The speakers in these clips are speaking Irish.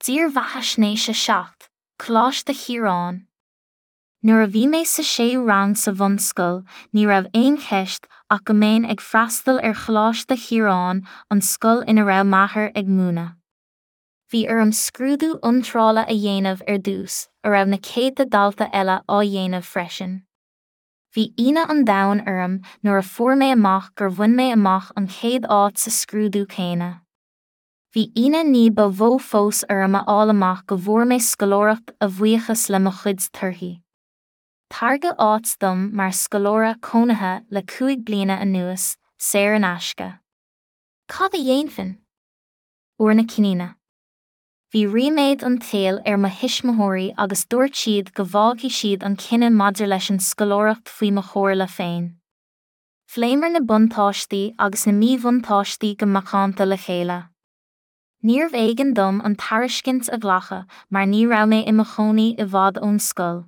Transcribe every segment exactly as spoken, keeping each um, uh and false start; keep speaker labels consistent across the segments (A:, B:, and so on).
A: Dírbheathaisnéis a seacht, Coláiste Chiaráin. Nuair a bhí mé sa séú rang sa bhunscoil, ní raibh aon cheist ach go mbeinn ag freastal ar Choláiste Chiaráin, an scoil ina raibh m'athair ag múineadh. Bhí orm scrúdú iontrála a dhéanamh ar dtús, a raibh na céadta dalta eile á dhéanamh freisin. Bhí ionadh an domhain orm nuair a fuair mé amach gur bhain mé amach an chéad áit sa scrúdú céanna. Bhí ionadh ní ba mhó fós orm a fháil amach go bhfuair mé scoláireacht a bhuíochas le mo chuid torthaí. Tairgeadh áit dom mar scoláire cónaithe le cúig bliana anuas, saor in aisce. Cad a dhéanfainn? Uair na cinniúna. Bhí ríméad an tsaoil ar mo thuismitheoirí agus dúirt siad go bhfágfaidh siad an cinneadh maidir leis an scoláireacht faoi mo chomhairle féin. Phléamar na buntáistí agus na míbhuntáistí go macánta le chéile. Níorbh éigean dom an tairiscint a ghlacadh mar ní raibh mé i mo chónaí i bhfad ón scoil.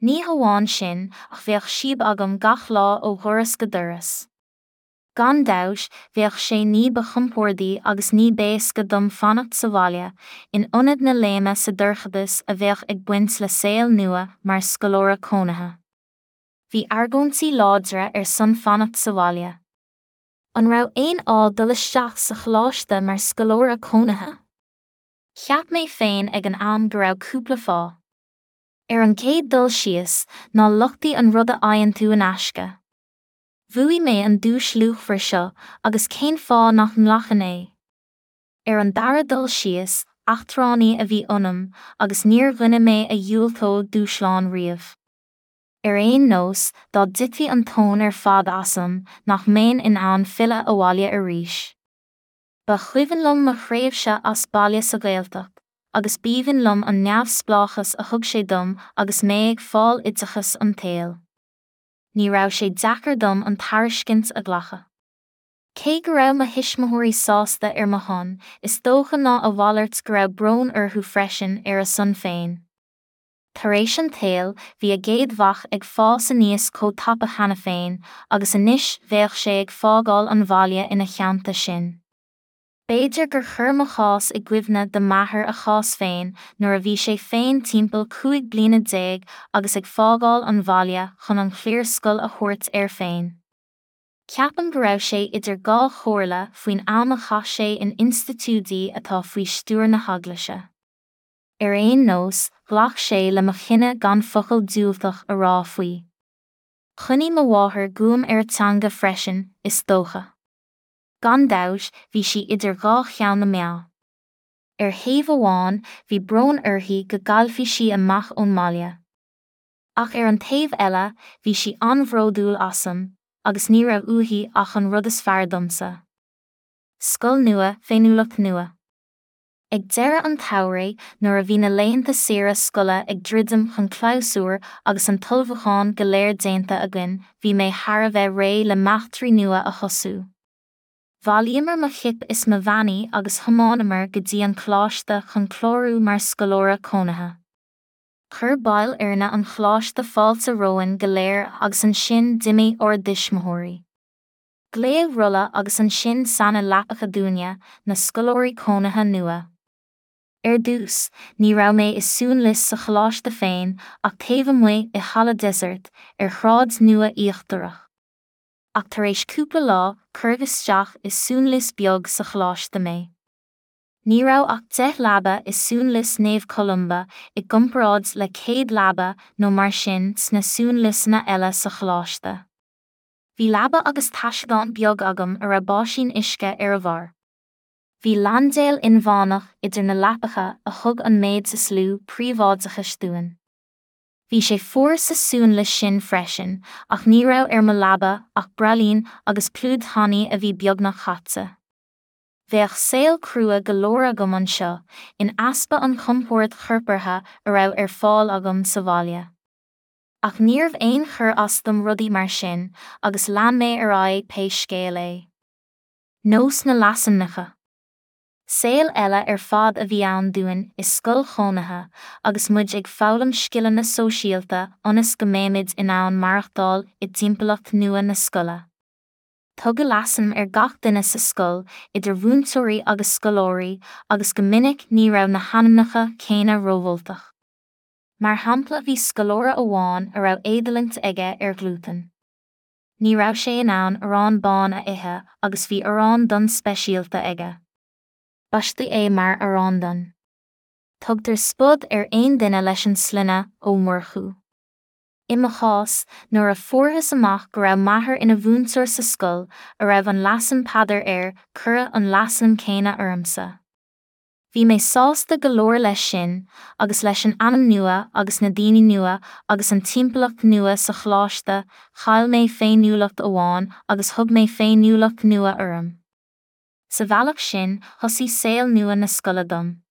A: Ní hamháin sin ach bheadh síob agam gach lá ó dhoras go doras. Gan dabht, bheadh sé ní ba chompordaí agus ní b'éasca dom fanacht sa bhaile, in ionad na léime sa dorchadas a bheadh ag baint le saol nua mar scoláire cónaithe. Bhí argóintí láidre ar son fanacht sa bhaile. An raibh aon fháth dul isteach sa choláiste mar scoláire cónaithe? Cheap mé féin ag an am go raibh cúpla fáth. Ar an gcéad dul síos, ná lochtaigh an rud a fhaigheann tú in aisce. Bhuaigh mé an duais luachmhar seo agus cén fáth nach nglacfainn é? Ar an dara dul síos, eachtránaí a bhí ionam agus níor dhuine mé a dhiúltódh dúshlán riamh. Ar aon nós, dá dtitfeadh an tóin ar fad asam, nach mbeinn in ann filleadh abhaile arís. Ba chuimhin liom mo thréimhse as baile sa Ghaeltacht, agus b'aoibhinn liom an neamhspleáchas a thug sé dom agus mé ag fáil oideachas an tsaoil. Ní raibh sé deacair dom an tairiscint a ghlacadh. Cé go raibh mo thuismitheoirí sásta ar mo shon, is dócha ná a mhalairt go raibh brón orthu freisin ar a son féin. Tar éis an tsaoil, bhí a gcéad mhac ag fás aníos chomh tapa cheana féin, agus anois bheadh sé ag fágáil an bhaile ina theannta sin. B'fhéidir gur chuir mo chás i gcuimhne do m'athair a chás féin nuair a bhí sé féin timpeall cúig bliana déag agus ag fágáil an bhaile chun an chliarscoil a thabhairt air féin. Ceapaim go raibh sé idir dhá chomhairle faoin am a chaith sé in institiúidí atá faoi stiúir na heaglaise. Ar aon nós, ghlac sé le mo chinneadh gan focal diúltach a rá faoi. Choinnigh mo mháthair guaim ar a teanga freisin, is dócha. Gan dabht, bhí sí idir dhá cheann na meá. Ar thaobh amháin, bhí brón uirthi go gcaillfeadh sí amach ón mbaile. Ach ar an taobh eile, bhí sí an-bhródúil asam, agus ní raibh uaithi ach an rud is fearr domsa. Scoil nua, féiniúlacht nua. Ag deireadh an tsamhraidh, nuair a bhí na laethanta saoire scoile ag druidim chun clabhsúir agus an t-ullmhúchán go léir déanta againn, bhí mé thar a bheith réidh le m'eachtraí nua a thosú. Bhailíomar mo chip is mo mheanaí agus thiomáineamar go dtí an coláiste chun clárú mar scoláire cónaithe. Chuir baill fhoirne an choláiste fáilte romhainn go léir agus ansin d'imigh ár dtuismitheoirí. Glaodh rolla agus ansin sannadh leapacha dúinne, na scoláirí cónaithe nua. Ar dtús, ní raibh mé i suanlios sa choláiste féin ach taobh amuigh i Halla Desert ar Shráid Nua Íochtarach. Ach tar éis cúpla lá, cuireadh isteach i suanlios beag sa choláiste mé. Ní raibh ach deich leaba i suanlios Naomh Columba i gcomparáid le céad leaba nó mar sin sna suanliosanna eile sa choláiste. Bhí leaba agus taiseadán beag agam a raibh báisín uisce ar a bharr. Bhí laindéal inmheánach idir na leapacha a thug an méid is lú príobháideachais dúinn. Bhí sé fuar sa suanlios sin freisin, ach ní raibh ar mo leaba ach braillín agus pluid thanaí a bhí beagnach caite. Bheadh saol crua go leor agam anseo, in easpa an chompoird chorpartha a raibh ar fáil agam sa bhaile. Ach níorbh aon chur as dom rudaí mar sin, agus lean mé ar aghaidh pé scéal é. Nós na leasainmneacha. Saol eile ar fad a bhí ann dúinn i scoil chónaithe agus muid ag foghlaim scileanna sóisialta ionas go mbeimid in ann maireachtáil i dtimpeallacht nua na scoile. Tugadh leasainm ar gach duine sa scoil, idir mhúinteoirí agus scoláirí, agus go minic ní raibh na hainmneacha céanna rómholtach. Mar shampla bhí scoláire amháin a raibh éadulaingt aige ar ghlútan. Ní raibh sé in ann arán bán a ithe agus bhí arán donn speisialta aige. Baisteadh é mar arán donn. Tugtar spud ar aon duine leis an sloinne Ó Murchú. I mo chás, nuair a fuarthas amach go raibh m'athair ina mhúinteoir sa scoil a raibh an leasainm Peadar air, cuireadh an leasainm céanna ormsa. Bhí mé sásta go leor leis sin, agus leis an ainm nua agus na daoine nua agus an timpeallacht nua sa choláiste, chaill mé féiniúlacht amháin agus thug mé féiniúlacht nua orm. Sa bhealach sin, thosaigh saol nua na scoile dom.